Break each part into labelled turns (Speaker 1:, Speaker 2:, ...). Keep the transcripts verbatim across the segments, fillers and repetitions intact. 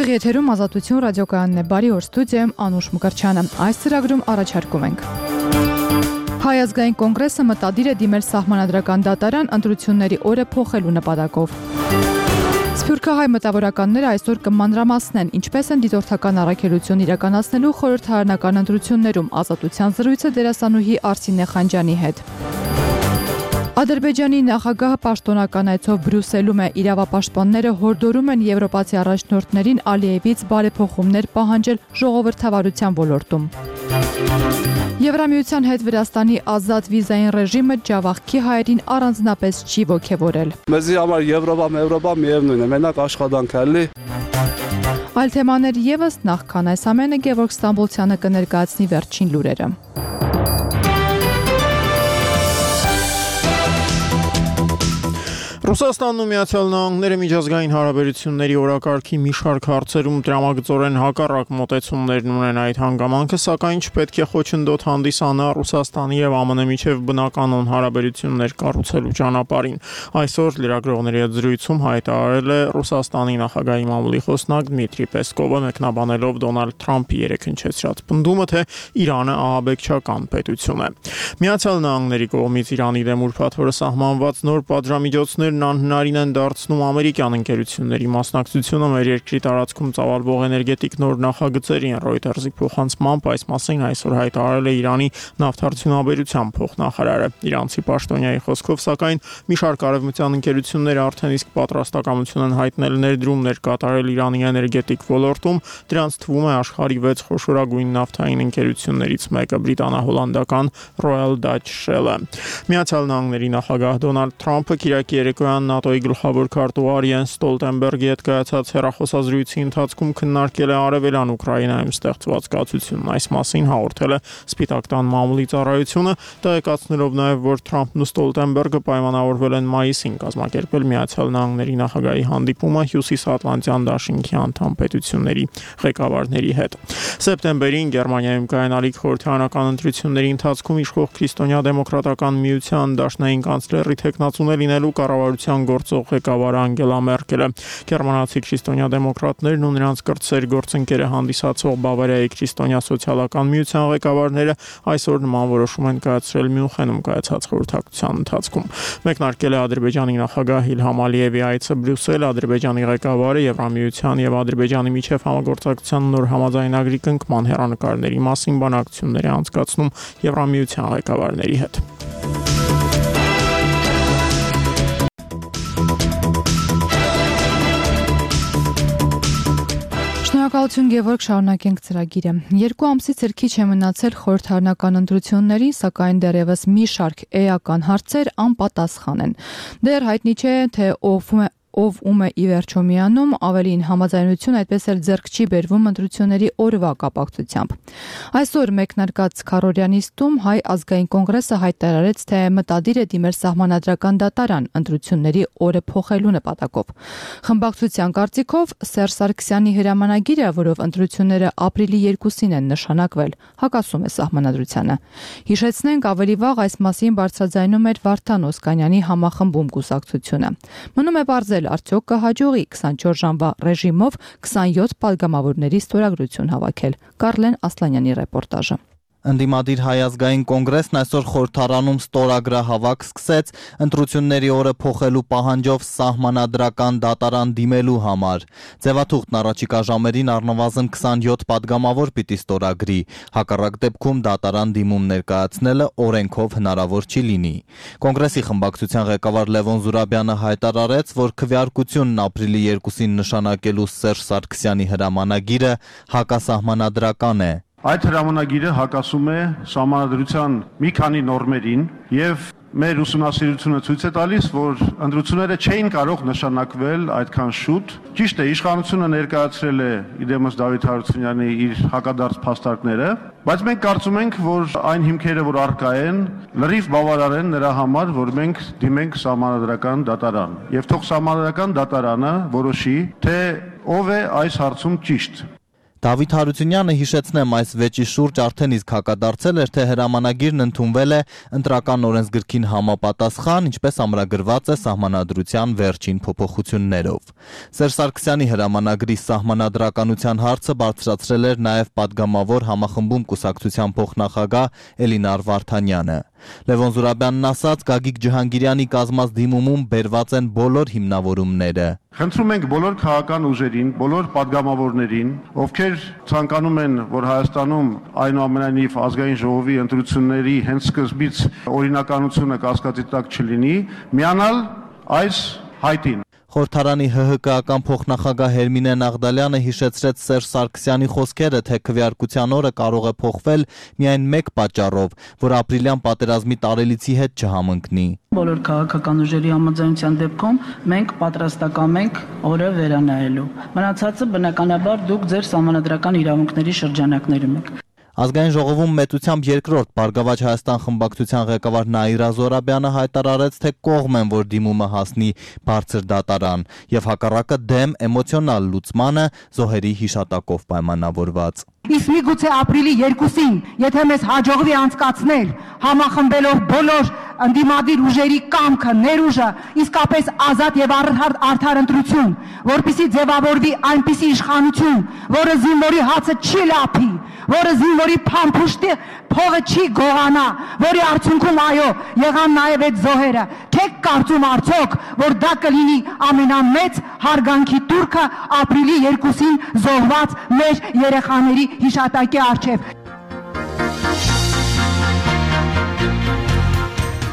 Speaker 1: Ուղիղ եթերում Ազատություն ռադիոկայանն է, բարի օր, ստուդիայում Անուշ Մկրտչյանը։ Այս ծրագրում առաջարկում ենք. Հայ ազգային կոնգրեսը մտադիր է դիմել սահմանադրական դատարան ընտրությունների օրը փոխելու նպատակով։ Սփյուռքահայ մտավորականները այսօր կմանրամասնեն, ինչպես են դիտորդական առաքելություն իրականացնելու խորհրդարանական ընտրություններում Ազատության զրույցը դերասանուհի Արսինե Խանջյանի հետ։ Ադրբեջանի նախագահը պաշտոնական այցով Բրյուսելում է, իրավապաշտպանները հորդորում են եվրոպացի առաջնորդներին Ալիևից բարեփոխումներ պահանջել ժողովրդավարության ոլորտում։ Եվրամիության հետ Վրաստանի ազատ վիզային ռեժիմը Ջավախքի հայերին առանձնապես չի ոգևորել։
Speaker 2: Մեզի համար Եվրոպա, Եվրոպա միևնույն է, մենակ աշխատանք է էլի։
Speaker 1: Այլ թեմաներ եւս, նախքան այս ամենը Գևորգ Ստամբոլցյանը կներկայացնի վերջին լուրերը։
Speaker 3: Ռուսաստանն ու Միացյալ Նահանգները միջազգային հարաբերությունների օրակարգի մի շարք հարցերում տրամագծորեն հակառակ մոտեցումներն ունեն այդ հանգամանքը, սակայն չպետք է խոչընդոտ հանդիսանա Ռուսաստանի եւ ԱՄՆ-ի միջև բնականon հարաբերություններ կառուցելու ճանապարհին։ Այսօր լրագրողների հետ զրույցում հայտարարել է Ռուսաստանի նախագահի մամուլի խոսնակ Դմիտրի Պեսկովը, մեկնաբանելով Դոնալդ Թրամփի երեքնչեցրած պնդումը, թե Իրանը ահաբեկչական պետություն է։ Միացյալ Նահանգների կողմից Իրանի դեմ ուրբաթ օրը սահմանված նոր պատժամիջոցներ անհնարին են դարձնում ամերիկյան ընկերությունների մասնակցությունը մեր երկրի տարածքում ծավալվող էներգետիկ նոր նախագծերին։ Reuters-ի փոխանցմամբ այս մասին այսօր հայտարարել է Իրանի նավթարդյունաբերության փոխնախարարը։ Իրանցի պաշտոնյայի խոսքով, սակայն մի շարք արևմտյան ընկերություններ արդեն իսկ պատրաստակամություն են հայտնել ներդրումներ կատարել Իրանի էներգետիկ ոլորտում։ Դրանց թվում է աշխարհի վեց խոշորագույն նավթային ընկերություններից մեկը՝ բրիտանա-հոլանդական Royal Dutch Shell-ը։ Միացյալ Նահանգների նախագահ Դոնալդ Թրամփը Կիրակի երեկոյան ՆԱՏՕ-ի գլխավոր քարտուղար Յենս Ստոլտենբերգի հետ կայացած հեռախոսազրույցի ընթացքում քննարկել է արևելյան Ուկրաինայում ստեղծված կացությունն։ Այս մասին հաղորդել է Սպիտակ տան մամուլի ծառայությունը, տեղեկացնելով նաև, որ Թրամփն ու Ստոլտենբերգը պայմանավորվել են մայիսին կազմակերպել Միացյալ Նահանգների նախագահի հանդիպումը Հյուսիսատլանտյան դաշինքի անդամ պետությունների ղեկավարների հետ։ Սեպտեմբերին Գերմանիայում կայանալիք խորհրդարանական ընտրությունների ընթացքում իշխող քրիստոնյա դեմոկրատական միության դաշնային կանցլերի թեկնածուն է լինելու կառավարության գործող ղեկավար Անգելա Մերկելը։ Գերմանացի քրիստոնյա դեմոկրատներն ու նրանց կրտսեր գործընկերը հանդիսացող Բավարիայի քրիստոնյա սոցիալական միության ղեկավարները այսօր նման որոշում են կայացրել Մյունխենում կայացած խորհրդակցության ընթացքում։ Մեկնարկել է Ադրբեջանի նախագահ Իլհամ Ալիևի այցը Բրյուսել, Ադրբեջանի ղեկավարը Եվրամիության եւ Ադրբեջանի միջև համագործակցության նոր համաձայնագրի կնքման հեռանկարների մասին բանակցություններ է անցկացնում Եվրամիության ղեկավարների հետ։
Speaker 1: Շնորհակալություն Գևորգ, շարունակենք ծրագիրը։ Երկու ամսից էլ քիչ է մնացել խորհրդարանական ընտրություններին, սակայն դեռևս մի շարք էական հարցեր անպատասխան են։ Դեռ հայտնի չէ, թե ով ով ում է ի վերջո միանում, ավելին համաձայնություն այդպես էլ ձեռք չի բերվում ընտրությունների օրվա կապակցությամբ։ Այսօր մեկնարկած քառօրյա Հայ ազգային կոնգրեսը հայտարարեց, թե մտադիր է դիմել սահմանադրական դատարան ընտրությունների օրը փոխելու նպատակով։ Խմբակցության կարծիքով Սերժ Սարգսյանի հրամանագիրը, որով ընտրությունները ապրիլի երկուսին են նշանակվել, հակասում է սահմանադրությանը։ Հիշեցնենք, ավելի վաղ այս մասին բարձրաձայնում էր Վարդան Օսկանյանի համախմբում կուսակցությունը։ Մնում է պարզել, արդյոք կհաջողի քսանչորս ժամվա ռեժիմով քսանյոթ պատգամավորների ստորագրություն հավաքել։ Կարլեն Ասլանյանի ռեպորտաժը։
Speaker 4: Ընդդիմադիր Հայ ազգային կոնգրեսն այսօր խորհրդարանում ստորագրահավաք սկսեց ընտրությունների օրը փոխելու պահանջով սահմանադրական դատարան դիմելու համար։ Ձևաթուղթն առաջիկա ժամերին առնվազն քսանյոթ պատգամավոր պիտի ստորագրի, հակառակ դեպքում դատարան դիմում ներկայացնելը օրենքով հնարավոր չի լինի։ Կոնգրեսի խմբակցության ղեկավար Լևոն Զուրաբյանը հայտարարեց, որ քվեարկությունն ապրիլի երկուսին նշանակելու Սերժ Սարգսյանի հրամանագիրը հակասահմանադրական է։
Speaker 5: Այդ հրամանագիրը հակասում է սահմանադրության մի քանի նորմերին եւ մեր ուսումնասիրությունը ցույց է տալիս, որ ընտրությունները չէին կարող նշանակվել այդքան շուտ։ Ճիշտ է, իշխանությունը ներկայացրել է իդեմս Դավիթ Հարությունյանի իր հակադարձ փաստարկները, բայց մենք կարծում ենք, որ այն հիմքերը, որ առկա են, լրիվ բավարար են նրա համար, որ մենք դիմենք սահմանադրական դատարան։ Եվ թող սահմանադրական դատարանը որոշի, թե ով է այս հարցում ճիշտ։
Speaker 4: Դավիթ Հարությունյանը, հիշեցնեմ, այս վեճի շուրջ արդեն իսկ հակադարձել էր, թե հրամանագիրն ընդունվել է ընտրական օրենսգրքին համապատասխան, ինչպես ամրագրված է սահմանադրության վերջին փոփոխություններով։ Սերժ Սարգսյանի հրամանագրի սահմանադրականության հարցը բարձրացրել էր նաև պատգամավոր համախմբում կուսակցության փոխնախագահ Էլինար Վարդանյանը։ Լևոն Զուրաբյանն ասաց, Գագիկ Ջհանգիրյանի կազմած դիմումում բերված են բոլոր հիմնավորումները։
Speaker 5: Խնդրում ենք բոլոր քաղաքական ուժերին, բոլոր պատգամավորներին, ովքեր ցանկանում են, որ Հայաստանում այնուամենայնիվ ազգային ժողովի ընտրությունների հենց սկզբից օրինականությունը կասկածի տակ չլինի, միանալ այս հայտին։
Speaker 4: Խորհրդարանի ՀՀԿ-ական փոխնախագահ Հերմինե Նաղդալյանը հիշեցրեց Սերժ Սարգսյանի խոսքերը, թե քվեարկության օրը կարող է փոխվել միայն մեկ պատճառով, որ ապրիլյան պատերազմի տարելիցի հետ չհամընկնի։
Speaker 6: Բոլոր քաղաքական ուժերի համաձայնության դեպքում մենք պատրաստական ենք օրը վերանայելու։ Մնացածը բնականաբար դուք ձեր սահմանադրական իրավունքների շրջանակներում եք։
Speaker 4: Ազգային ժողովում մեծությամբ երկրորդ Բարգավաճ Հայաստան խմբակցության ղեկավար Նաիրա Զորաբյանը հայտարարեց, թե կողմ են, որ դիմումը հասնի բարձր դատարան, եւ հակառակը դեմ էմոցիոնալ լուծմանը զոհերի հիշատակով պայմանավորված։
Speaker 7: Իսկ միգուցե ապրիլի երկուսին, եթե մեզ հաջողվի անցկացնել համախմբելով բոլոր ընդդիմադիր ուժերի կամքը, ներուժը, իսկապես ազատ եւ արդար ընտրություն, որպեսզի ձևավորվի այնպիսի իշխանություն, որը զինվորի հացը չի լափի, որը զինվորի փամփուշտի փողը չի գողանա, որի արդյունքում այո, եղան նաև այդ զոհերը։ Չեք կարծում արդյոք, որ դա կլինի ամենամեծ հարգանքի տուրքը ապրիլի երկուսին զոհված մեր երեխաների հիշատակի առջև։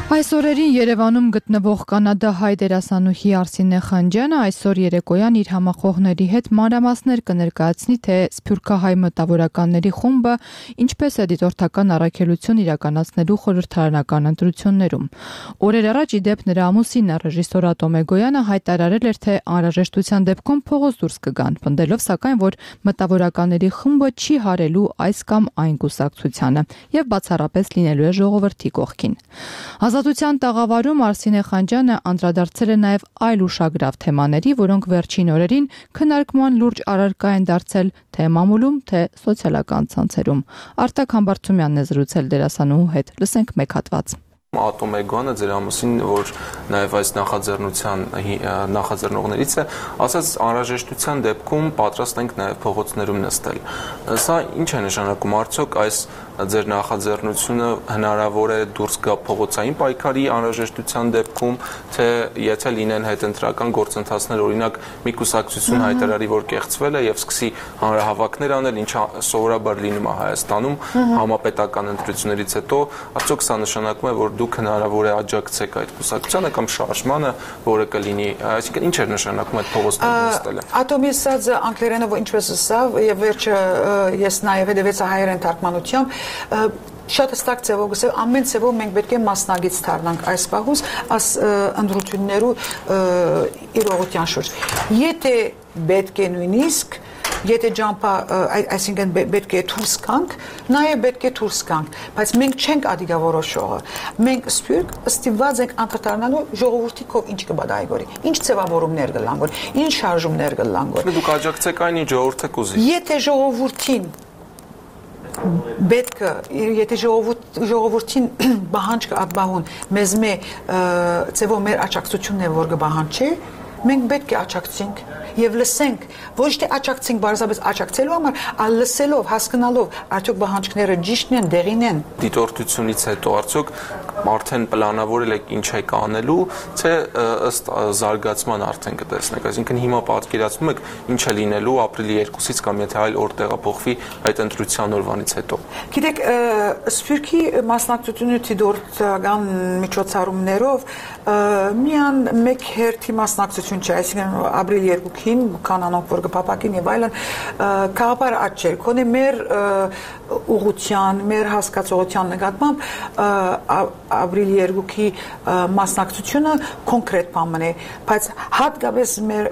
Speaker 1: Այս օրերին Երևանում գտնվող կանադահայ դերասանուհի Արսինե Խանջյանը այսօր երեկոյան իր համախոհների հետ մանրամասներ կներկայացնի, թե սփյուռքահայ մտավորականների խումբը ինչպես է դիտորդական առաքելություն իրականացնելու խորհրդարանական ընտրություններում։ Օրեր առաջ ի դեպ նրա ամուսինը ռեժիսոր Ատոմ Էգոյանը հայտարարել էր, թե անհրաժեշտության դեպքում փողոց դուրս կգան, պնդելով սակայն, որ մտավորականների խումբը չի հարելու այս կամ այն կուսակցությանը եւ բացառապես լինելու է ժողովրդի կողքին։ Ազատության տաղավարում Արսինե Խանջյանը անդրադարձել է նաև այլ ուշագրավ թեմաների, որոնք վերջին օրերին քննարկման լուրջ առարկա են դարձել թե մամուլում, թե սոցիալական ցանցերում։ Արտակ Համբարձումյանն է զրուցել դերասանուհու հետ։ Լսենք մեկ հատված։
Speaker 8: Ատոմ Էգոյանը ձեր ամուսին, որ նաև այս նախաձեռնության նախաձեռնողներից է, ասաց անհրաժեշտության դեպքում պատրաստ ենք նաև փողոցներում նստել։ Սա ինչ է նշանակում, արդյոք այս ձեր նախաձեռնությունը հնարավոր է դուրս գա փողոցային պայքարի անհրաժեշտության դեպքում, թե եթե լինեն հետընտրական գործընթացներ, օրինակ մի կուսակցություն հայտարարի, որ կեղծվել է եւ սկսի հանրահավաքներ անել, ինչը սովորաբար լինում է Հայաստանում համապետական ընտրություններից հետո, արդյոք սա նշանակում է, որ դուք հնարավոր է աջակցեք այդ կուսակցությանը կամ շարժմանը, որը կլինի, այսինքն ինչ է նշանակում այդ փողոցներում նստելը։
Speaker 9: Ատոմի ասած անգլերենով ինչպես ասավ, եւ վերջը ես նաեւ հետեւեցա հայերեն թարգմանությամբ, շատ հստակ ձևով գսել, ամեն ձևով մենք պետք է մասնագետ դառնանք այս պահուց, այս ընտրություններու իրողության շուրջ։ Եթե պետք է նույնիսկ Եթե ջամփա, այսինքն պետք է դուրս գանք, նաև պետք է դուրս գանք, բայց մենք չենք ադիգավորոշողը։ Մենք սփյուռք ստիպված ենք անդրադառնալու ժողովրդի կողմ ինչ կբադայի գորի, ինչ ձևավորումներ կլան գոր, ինչ շարժումներ կլան գոր։
Speaker 8: Դուք աջակցեք այն, ինչ ժողովուրդը կուզի։
Speaker 9: Եթե ժողովրդին պետք է, եթե ժողովրդին բահանջ կապահուն, մեզ մե ձևով մեր աջակցությունն է, որ կբահանջի, մենք պետք է աջակցենք եւ լսենք, ոչ թե աջակցենք բարձրապես աջակցելու համար, այլ լսելով, հասկանալով, արդյոք բանջկները ճիշտն են, դեղին են։
Speaker 8: Դիտորդությունից հետո արդյոք արդեն պլանավորել եք ինչ եք անելու, թե ըստ զարգացման արդեն կտեսնեք, այսինքն հիմա պատկերացնում եք ինչ է լինելու ապրիլի երկուսից կամ եթե այլ օր տեղափոխվի այդ ընտրության օրվանից հետո։
Speaker 9: Գիտեք, սփյուռքի մասնակցությունը դիտորդական միջոցառումներով միան մեկ հերթի մասնակցություն չէ, այսինքն ապրիլի երկուքին կանանոք որ կփապակին եւ այլն քաղաքար աճել կոնե մեր ուղղության մեր հասկացողության նկատմամբ ապրիլի երկուքի մասնակցությունը կոնկրետ բան է, բայց հատկապես մեր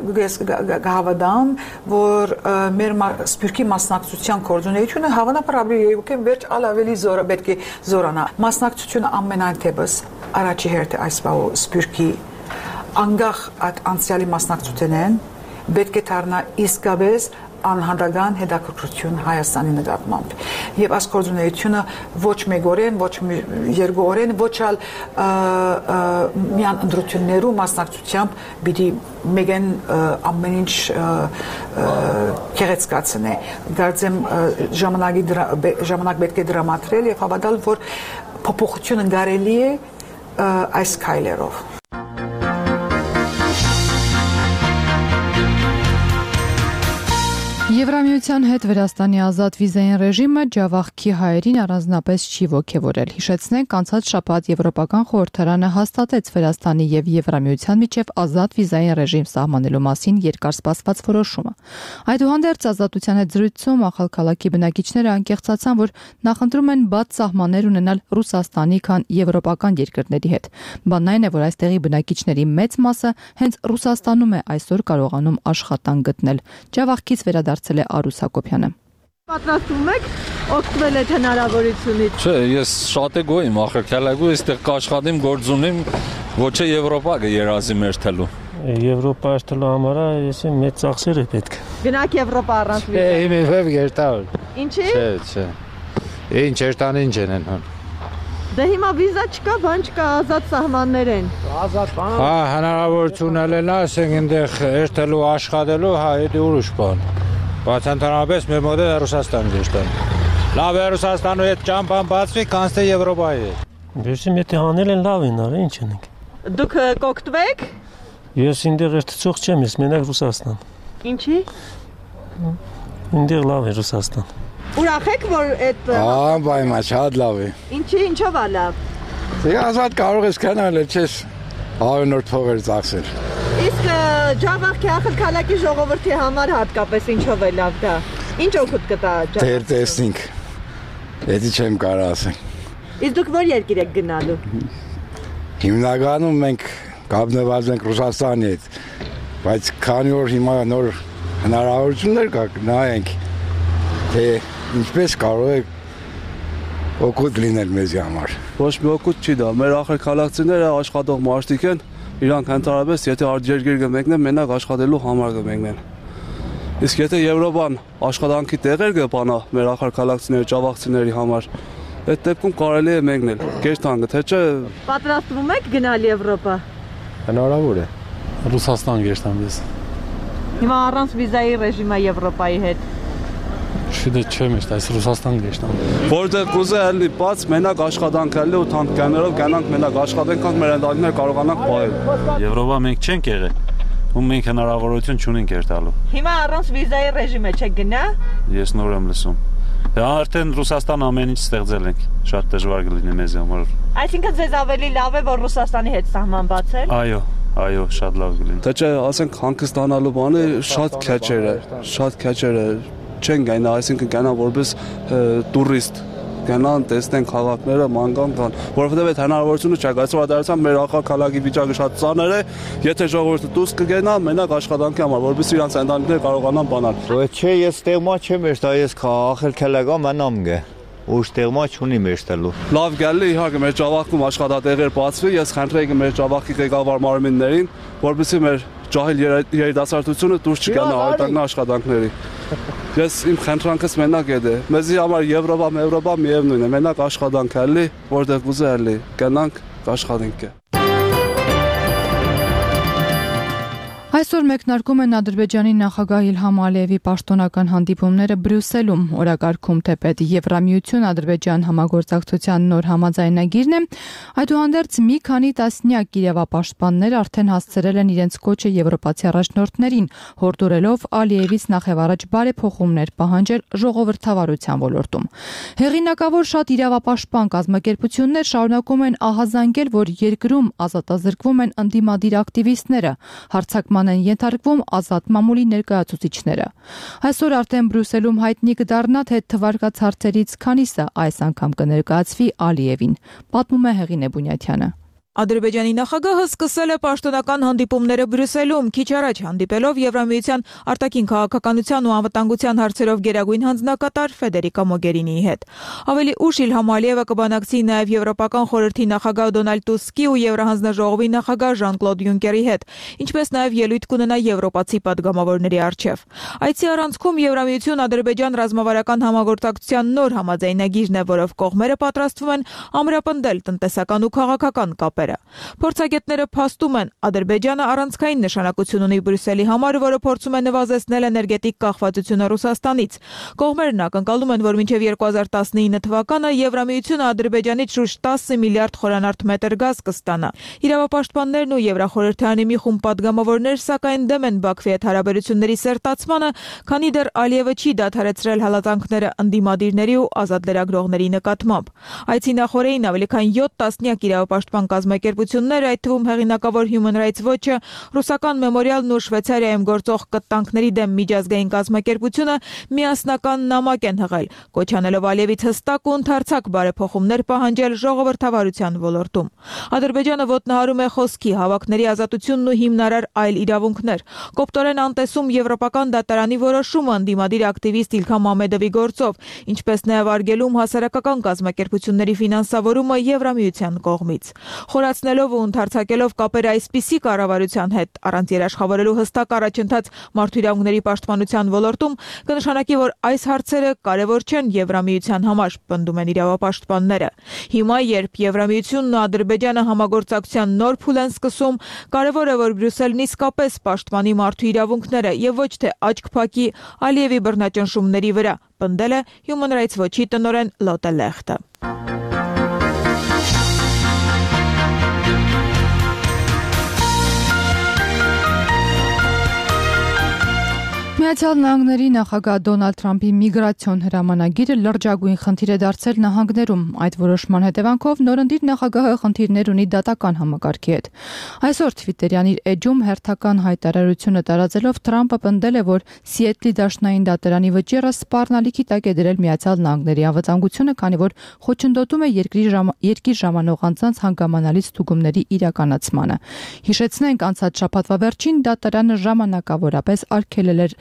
Speaker 9: գահավադամ որ մեր սփյուռքի մասնակցության կոորդինացիոնը հավանաբար ապրիլի երկուքին վերջ ավելի զորը պետք է զորանա մասնակցությունը ամենայն թեպս առաջի հերթը այս բաղ սփյուռքի անգախ այդ անցյալի մասնակցությունն պետք է դառնա իսկապես անհանդրական հետաքրքրություն Հայաստանի նկատմամբ։ Եվ այս գործունեությունը ոչ մեկօրեն, ոչ երկուօրեն, ոչ ալ միան ընտրություններու մասնակցությամբ պիտի մեգեն ամեն ինչ կեղեցկացնե։ Գարձեմ ժամանակի ժամանակ պետք է դրամատրել եւ հավատալ, որ փոփոխությունը կարելի է այս քայլերով։
Speaker 1: Եվրամիության հետ Վրաստանի ազատ վիզային ռեժիմը ջավախքի հայերին առանձնապես չի ոգևորել։ Հիշեցնենք, անցած շաբաթ Եվրոպական խորհրդարանը հաստատեց Վրաստանի եւ Եվրամիության միջև ազատ վիզային ռեժիմ սահմանելու մասին երկարսպասված որոշումը։ Այդուհանդերձ ազատության հետ զրույցում ախալքալաքի բնակիչները անկեղծացան, որ նախընտրում են բաց սահմաններ ունենալ Ռուսաստանի, քան եվրոպական երկրների հետ։ Բանն այն է, որ այստեղի բնակիչների մեծ մասը հենց Ռուսաստանում է այսօր կարողանում աշխատանք գտնել։ Ջավախքից վերադարձել է Արուս Հակոբյանը։
Speaker 10: Պատրաստվում եք օգտվել այդ հնարավորությունից։
Speaker 11: Չէ, ես շատ է գոյím, ախր քալագու այստեղ կաշխատեմ, գործ ունեմ, ոչ է Եվրոպա կերազի մեր թելու։
Speaker 12: Եվրոպա աշխատելու համար ես մեծ ծախսեր է պետք։
Speaker 10: Գնաք Եվրոպա առանց վիզա։
Speaker 12: Է, իմ վեբ գերտալ։
Speaker 10: Ինչի՞։
Speaker 12: Չէ, չէ։ Ինչ երտան ինչ են հոն։
Speaker 10: Դե հիմա վիզա չկա, բան չկա, ազատ սահմաններ են։
Speaker 12: Ազատ բան։ Հա, հնարավորություն ելնա, ասենք այնտեղ երթելու, աշխատելու, հա, դա ուրիշ բան։ Բայց ընդհանրապես մեր մոտ է Ռուսաստան գեշտան։ Լավ է Ռուսաստանու հետ ճամփան բացվի, կանցե Եվրոպայի հետ։ Դեսի մետի հանել են լավ են, արի ինչ ենք։
Speaker 10: Դուք կօգտվեք։
Speaker 12: Ես ինտեղ երթցող չեմ, ես մենակ Ռուսաստան։
Speaker 10: Ինչի։
Speaker 12: Ինտեղ լավ է Ռուսաստան։
Speaker 10: Ուրախ եք, որ այդ
Speaker 12: Ահա, բայմա, շատ լավ է։
Speaker 10: Ինչի, ինչով է լավ։
Speaker 12: Դե ազատ կարող ես կանալ, չես հարյուրնորդ փողեր ծախսել։
Speaker 10: Իսկ Ջավախքի ախալքալաքի ժողովրդի համար հատկապես ինչով է լավ դա։ Ինչ օգուտ կտա Ջավախքը։
Speaker 12: Դեր տեսնենք։ Էդի չեմ կարող ասել։
Speaker 10: Իսկ դուք որ երկիր եք գնալու։
Speaker 12: Հիմնականում մենք կապնված ենք Ռուսաստանի հետ, բայց քանի որ հիմա նոր հնարավորություններ կա, նայենք, թե ինչպես կարող է օգուտ լինել մեզի համար։
Speaker 2: Ոչ մի օգուտ չի դա, մեր ախր քաղաքացիները աշխատող մարդիկ են, իրանք ընդհանրապես եթե արտերկիր կմեկնեն, մենակ աշխատելու համար կմեկնեն։ Իսկ եթե Եվրոպան աշխատանքի տեղեր կբանա մեր ախր քաղաքացիների, ջավախցիների համար, այդ դեպքում կարելի է մեկնել։ Գերտանգը, թե չէ։
Speaker 10: Պատրաստվում եք գնալ Եվրոպա։
Speaker 12: Հնարավոր է։ Ռուսաստան գերտանգես։
Speaker 10: Հիմա առանց վիզայի ռեժիմը Եվրոպայի հետ։
Speaker 12: Շուտ չեմ իշտ, այս Ռուսաստան գեշտան։
Speaker 2: Որտեղ կուզե ալի բաց մենակ աշխատանք ալի ու թանկյաներով գանանք մենակ աշխատենք, կանք մեր ընտանիքներ կարողանանք պահել։
Speaker 13: Եվրոպա մենք չենք եղել, ու մենք հնարավորություն չունենք երթալու։
Speaker 10: Հիմա առանց վիզայի ռեժիմը չեք գնա։
Speaker 13: Ես նոր եմ լսում։ Արդեն Ռուսաստան ամեն ինչ ստեղծել ենք, շատ դժվար կլինի մեզ համար։
Speaker 10: Այսինքն ձեզ ավելի լավ է, որ Ռուսաստանի հետ սահման բացել։
Speaker 13: Այո, այո, շատ լավ կլինի։
Speaker 2: Թե չէ, ասենք հանգստանալու բանը շատ քեչեր է, շատ քեչեր է, չեն գնա, այսինքն գնա որպես տուրիստ, գնան, տեսնեն քաղաքները, ման կան, որովհետև այդ հնարավորությունը չկա, այսօր դարձան մեր ախալքալակի վիճակը շատ ծանր է, եթե ժողովուրդը դուրս կգնա, մենակ աշխատանքի համար, որպես իրանց ընտանիքները կարողանան բանալ։
Speaker 14: Չէ, ես տեղմա չեմ երթա, ես ախալքալակա մնամ գե։ Ուշ տեղմա չունի մեջտելու։
Speaker 2: Լավ գալի իհարկե մեր ջավախքում աշխատատեղեր բացվի, ես խնդրեի մեր ջավախքի ղեկավար մարմիններին, որպեսզի մեր ջահիլ երիտասարդությունը դուրս չգանա արտաքին աշխատանքների։ Ես իմ խնդրանքս մենակ է դե։ Մեզի համար Եվրոպա, Եվրոպա միևնույն է, մենակ աշխատանք ալի, որտեղ ուզե ալի, գնանք աշխատենք։
Speaker 1: Այսօր մեկնարկում են Ադրբեջանի նախագահ Իլհամ Ալիևի պաշտոնական հանդիպումները Բրյուսելում։ Օրակարգում թեպետ Եվրամիություն Ադրբեջան համագործակցության նոր համաձայնագիրն է։ Այդուհանդերձ մի քանի տասնյակ իրավապաշտպաններ արդեն հասցրել են իրենց կոչը եվրոպացի առաջնորդներին, հորդորելով Ալիևից նախևառաջ բարեփոխումներ պահանջել ժողովրդավարության ոլորտում։ Հեղինակավոր շատ իրավապաշտպան կազմակերպություններ շարունակում են ահազանգել, որ երկրում ազատազրկվում են ընդդիմադիր ակտիվիստները, հարձակման են ենթարկվում ազատ մամուլի ներկայացուցիչները։ Այսօր արդեն Բրյուսելում հայտնի կդառնա, թե թվարկած հարցերից քանիսը այս անգամ կներկայացվի Ալիևին, պատմում է Հեղինե Բունյաթյանը։
Speaker 15: Ադրբեջանի նախագահը սկսել է պաշտոնական հանդիպումները Բրյուսելում, քիչ առաջ հանդիպելով Եվրամիության արտաքին քաղաքականության ու անվտանգության հարցերով գերագույն հանձնակատար Ֆեդերիկա Մոգերինիի հետ։ Ավելի ուշ Իլհամ Ալիևը կբանակցի նաև Եվրոպական խորհրդի նախագահ Դոնալդ Տուսկի ու Եվրահանձնաժողովի նախագահ Ժան-Կլոդ Յունկերի հետ, ինչպես նաև ելույթ կունենա եվրոպացի պատգամավորների առջև։ Այցի առանցքում Եվրամիություն-Ադրբեջան ռազմավարական համագործակցության նոր համաձայնագիրն է, որով կողմերը պատրաստվում են ամրապնդել տնտեսական ու քաղաքական կապերը։ Փորձագետները փաստում են, Ադրբեջանը առանցքային նշանակություն ունի Բրյուսելի համար, որը փորձում է նվազեցնել էներգետիկ կախվածությունը Ռուսաստանից։ Կողմերն ակնկալում են, որ մինչև երկու հազար տասնինը թվականը Եվրամիությունը Ադրբեջանից շուրջ տասը միլիարդ խորանարդ մետր գազ կստանա։ Իրավապաշտպաններն ու Եվրախորհրդարանի մի խումբ պատգամավորներ սակայն դեմ են Բաքվի հետ հարաբերությունների սերտացմանը, քանի դեռ Ալիևը չի դադարեցրել հալածանքները ընդդիմադիրների ու ազատ լրագրողների նկատմամբ։ Այցի նախօրեին ավելի քան յոթ տասնյակ իրավապաշտպան կազմակերպություններ, այդ թվում հեղինակավոր Human Rights Watch-ը, ռուսական Մեմորիալն ու Շվեյցարիայում գործող կտանքների դեմ միջազգային կազմակերպությունը միասնական նամակ են հղել, կոչ անելով Ալիևից հստակ ու ընդարձակ բարեփոխումներ պահանջել ժողովրդավարության ոլորտում։ Ադրբեջանը ոտնահարում է խոսքի, հավաքների ազատությունն ու հիմնարար այլ իրավունքներ։ Կոպտորեն անտեսում Եվրոպական դատարանի որոշումը ընդդիմադիր ակտիվիստ Իլհամ Մամեդովի գործով, ինչպես նաև արգելում հասարակական կազմակերպությունների ֆինանսավորումը Եվրամիության կողմից։ Խորացնելով ու ընդարձակելով կապերը այսպիսի կառավարության հետ, առանց երաշխավորելու հստակ առաջընթաց մարդու իրավունքների պաշտպանության ոլորտում, կնշանակի, որ այս հարցերը կարևոր չեն Եվրամիության համար, պնդում են իրավապաշտպանները։ Հիմա, երբ Եվրամիությունն ու Ադրբեջանը համագործակցության նոր փուլ են սկսում, կարևոր է, որ Բրյուսելն իսկապես պաշտպանի մարդու իրավունքները եւ ոչ թե աչք փակի Ալիևի բռնաճնշումների վրա, պնդել է Human Rights Watch-ի տնօրեն Լոտե Լեխտը։
Speaker 1: Միացյալ Նահանգների նախագահ Դոնալդ Թրամփի միգրացիոն հրամանագիրը լրջագույն խնդիր է դարձել նահանգներում։ Այդ որոշման հետևանքով նորընտիր նախագահը խնդիրներ ունի դատական համակարգի հետ։ Այսօր Թվիտերյան իր էջում հերթական հայտարարությունը տարածելով Թրամփը պնդել է, որ Սիեթլի դաշնային դատարանի վճիռը սպառնալիքի տակ է դրել Միացյալ Նահանգների անվտանգությունը, քանի որ խոչընդոտում է երկրի ժամ, երկիր ժամանող անձանց հանգամանալի ստուգումների իրականացմանը։ Հիշեցնենք, անցած շաբաթվա վերջին դատարանը ժամանակավորապես արգելել էր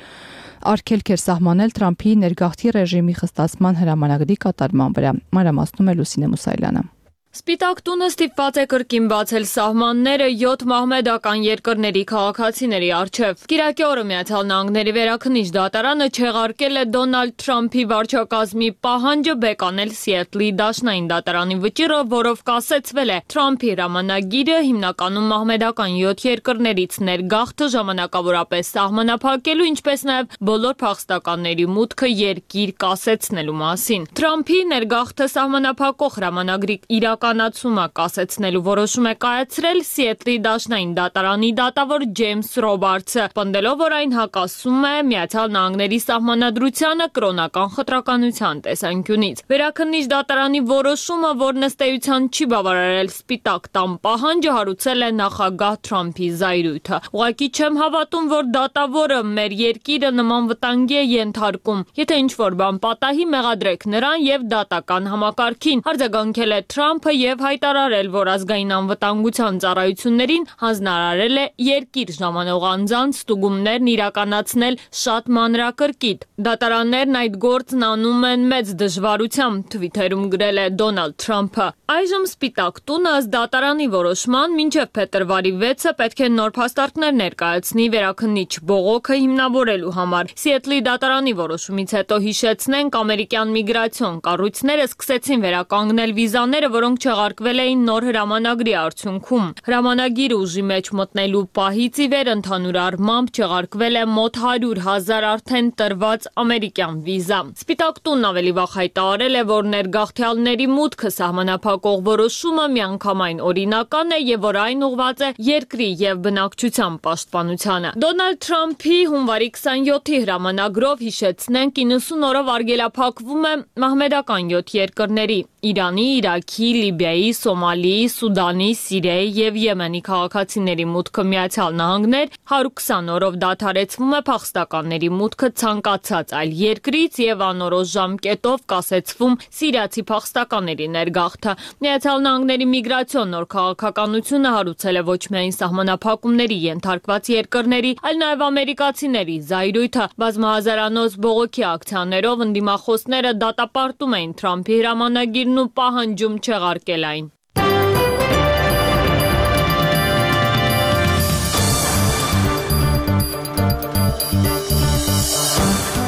Speaker 1: արգելք էր սահմանել Թրամփի ներգաղթի ռեժիմի խստացման հրամանագրի կատարման վրա։ Մանրամասնում է Լուսինե Մուսայելյանը։
Speaker 16: Սպիտակ տունը ստիպված է կրկին բացել սահմանները յոթ մահմեդական երկրների քաղաքացիների առջև։ Կիրակի օրը Միացյալ Նահանգների վերաքննիչ դատարանը չեղարկել է Դոնալդ Թրամփի վարչակազմի պահանջը բեկանել Սիեթլի դաշնային դատարանի վճիռը, որով կասեցվել է Թրամփի հրամանագիրը հիմնականում մահմեդական յոթ երկրներից ներգաղթը ժամանակավորապես սահմանափակելու, ինչպես նաև բոլոր փախստականների մուտքը երկիր կասեցնելու մասին։ Թրամփի ներգաղթը սահմանափակող հրամանագրի իրական կանացումը կասեցնելու որոշում է կայացրել Սիեթլի դաշնային դատարանի դատավոր Ջեյմս Ռոբարթսը, պնդելով, որ այն հակասում է Միացյալ Նահանգների սահմանադրությանը կրոնական խտրականության տեսանկյունից։ Վերաքննիչ դատարանի որոշումը, որ ըստ էության չի բավարարել Սպիտակ տան պահանջը, հարուցել է նախագահ Թրամփի զայրույթը։ Ուղղակի չեմ հավատում, որ դատավորը մեր երկիրը նման վտանգի է ենթարկում։ Եթե ինչ-որ բան պատահի, մեղադրեք նրան եւ դատական համակարգին, արձագանքել է Թրամփը եւ հայտարարել, որ ազգային անվտանգության ծառայություններին հանձնարարել է երկիր ժամանող անձանց ստուգումներն իրականացնել շատ մանրակրկիտ։ Դատարաններն այդ գործն անում են մեծ դժվարությամբ, Թվիթերում գրել է Դոնալդ Թրամփը։ Այժմ Սպիտակ տունը ըստ դատարանի որոշման մինչև փետրվարի վեցը պետք է նոր փաստարկներ ներկայացնի վերաքննիչ բողոքը հիմնավորելու համար։ Սիեթլի դատարանի որոշումից հետո հիշեցնենք, ամերիկյան միգրացիոն կառույցները սկսեցին վերականգնել վիզաները, որոնք չեղարկվել էին նոր հրամանագրի արդյունքում։ Հրամանագիրը ուժի մեջ մտնելու պահից ի վեր ընդհանուր առմամբ չեղարկվել է մոտ հարյուր հազար արդեն տրված ամերիկյան վիզա։ Սպիտակ տունն ավելի վաղ հայտարարել է, որ ներգաղթյալների մուտքը սահմանափակող որոշումը միանգամայն օրինական է եւ որ այն ուղղված է երկրի եւ բնակչության պաշտպանությանը։ Դոնալդ Թրամփի հունվարի քսանյոթի հրամանագրով հիշեցնենք իննսուն օրով արգելափակվում է մահմեդական յոթ երկրների Իրանի, Իրաքի, Լիբիայի, Սոմալիի, Սուդանի, Սիրիայի եւ Եմենի քաղաքացիների մուտքը Միացյալ Նահանգներ հարյուր քսան օրով դադարեցվում է փախստականների մուտքը ցանկացած այլ երկրից եւ անորոշ ժամկետով կասեցվում սիրիացի փախստականների ներգաղթը։ Միացյալ Նահանգների միգրացիոն նոր քաղաքականությունը հարուցել է ոչ միայն սահմանափակումների ենթարկված երկրների, այլ նաեւ ամերիկացիների զայրույթը։ Բազմահազարանոց բողոքի ակցիաներով ընդդիմախոսները դատապարտում էին Թրամփի հրամանագիրն ու պահանջում չեղարկել այն։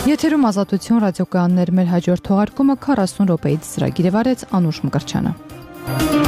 Speaker 1: Եթերում Ազատություն ռադիոկայաններ մեր հաջորդ թողարկումը քառասուն րոպեից ծրագիր է վարեց Անուշ Մկրտչյանը։